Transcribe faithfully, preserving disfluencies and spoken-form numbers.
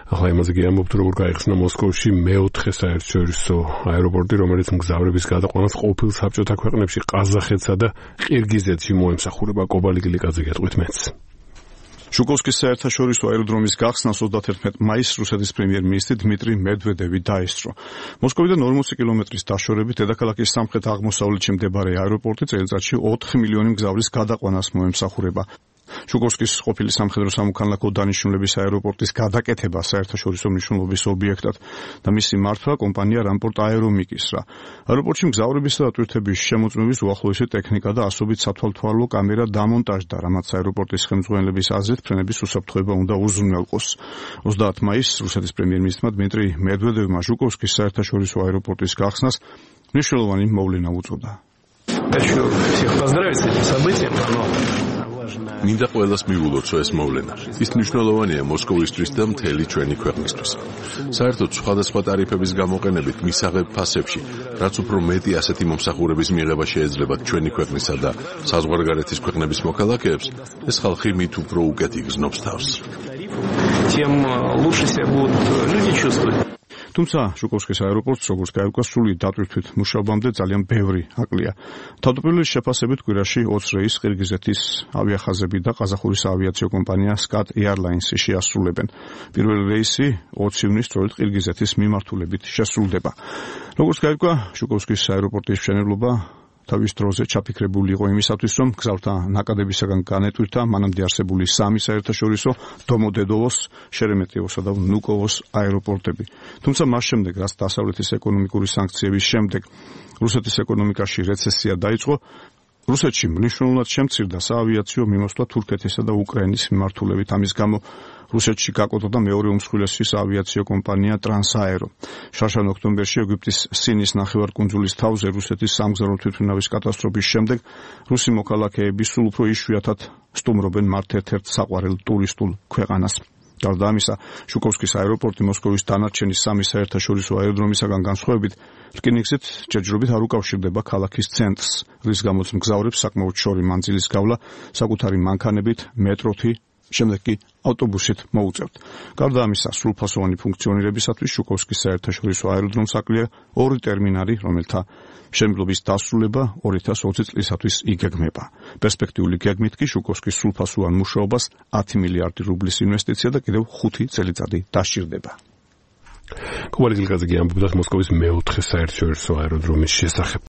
ახლა იმაზე კი ამბობთ, როგორ გაიხსნა მოსკოვში მეოთხე საერთაშორისო აეროპორტი, რომელიც მგზავრების გადაყვანას ყოფილ საბჭოთა ქვეყნებში ყაზახეთსა და ყირგიზეთში მოემსახურება. კობალი გილიკაძე გეტყვით მეც. შუკოვსკის საერთაშორისო აეროდრომის გახსნას ოცდაათერთმეტ მაისს რუსეთის პრემიერ-მინისტრი დმიტრი მედვედევი დაესწრო. მოსკოვიდან ორმოცი კილომეტრის დაშორებით დედაქალაქის სამხრეთ-აღმოსავლეთში მდებარე აეროპორტი წელიწადში ოთხ მილიონი მგზავრის გადაყვანას მოემსახურება. შუკოვსკის ყოფილი სამხედრო სამოქალაქო დანიშნულების აეროპორტის გადაკეთება საერთაშორისო მნიშვნელობის ობიექტად და მისი მართვა კომპანია რამპორტ აერომიკისრა. აეროპორტში მგზავრებისა და ტვირთების შემოწმების უახლოესი ტექნიკა და ასობით სათვალთვალო კამერა დამონტაჟდა, რამაც აეროპორტის ხელმძღვანელების აზრით ფრენების უსაფრთხოება უნდა უზრუნველყოს. ოცდაათ მაისს რუსეთის პრემიერ-მინისტრმა დმიტრი მედვედევმა შუკოვსკის საერთაშორისო აეროპორტის გახსნას მნიშვნელოვანი მოვლენა უწოდა. Хочу всех поздравить с этим событием. მინდა ყველას მივულოცო ეს მოვლენა. ის მნიშვნელოვანია მოსკოვისთვის და მთელი ჩვენი ქვეყნისთვის. საერთოდ სხვადასხვა ტარიფების გამოყენებით მისაღებ ფასებში, რაც უფრო მეტი ასეთი მომსახურების მიღება შეეძლება ჩვენი ქვეყნისა და საზღვარგარეთის ქვეყნების მოქალაქეებს, ეს ხალხი მით უფრო უკეთ იგრძნობს თავს. Тем лучше себя будут люди чувствовать. თუმცა შუკოვსკის აეროპორტს როგორც გაირკვა სრული დატვირთვით მუშაობამდე ძალიან ბევრი აკლია. თავდაპირველის შეფასებით კვირაში ოცი რეისს ყირგიზეთის ავიახაზები და ყაზახურის ავიაციო კომპანია სკატ ეარლაინსი შეასრულებენ. პირველი რეისი ოცი ივნის სწორედ ყირგიზეთის მიმართულებით შესრულდება. როგორც გაირკვა, შუკოვსკის აეროპორტის მშენებლობა თავის დროზე ჩაფიქრებული იყო იმისათვის, რომ მგზავრთა ნაკადებისაგან განეტვირთა მანამდე არსებული სამი საერთაშორისო დომოდედოვოს, შერემეტიევოსა და ვნუკოვოს აეროპორტები. თუმცა მას შემდეგ, რაც დასავლეთის ეკონომიკური სანქციების შემდეგ რუსეთის ეკონომიკაში რეცესია დაიწყო, რუსეთში მნიშვნელოვნად შემცირდა საავიაციო მიმოსვლა თურქეთისა და უკრაინის მიმართულებით. ამის გამო რუსეთში გაკოტრდა მეორე უმსხვილესი საავიაციო კომპანია ტრანსაერო. შარშან ოქტომბერში ეგვიპტის სინის ნახევარკუნძულის თავზე რუსეთის სამგზავრო თვითმფრინავის კატასტროფის შემდეგ რუსი მოქალაქეები სულ უფრო იშვიათად სტუმრობენ მათ ერთ-ერთ საყვარელ ტურისტულ ქვეყანას. გარდა ამისა, შუკოვსკის აეროპორტი მოსკოვის დანარჩენი სამი საერთაშორისო აეროდრომისაგან განსხვავებით რკინიგზით ჯერჯერობით არ უკავშირდება ქალაქის ცენტრს, რის გამოც მგზავრებს საკმაოდ შორი მანძილის გავლა საკუთარი მანქანებით, მეტროთი, შემდეგ კი ავტობუსით მოუწევთ. გარდა ამისა, სრულფასოვანი ფუნქციონირებისათვის შუკოვსკის საერთაშორისო აეროდრომს აკლია ორი ტერმინალი, რომელთა მშენებლობის დასრულება ორი ათას ოცი წლისათვის იგეგმება. პერსპექტიული გეგმით კი შუკოვსკის სრულფასოვან მუშაობას ათი მილიარდი რუბლის ინვესტიცია და კიდევ ხუთი წელიწადი დასჭირდება. კობალი გილიკაძე ამბობდა მოსკოვის მეოთხე საერთაშორისო აეროდრომის შესახებ.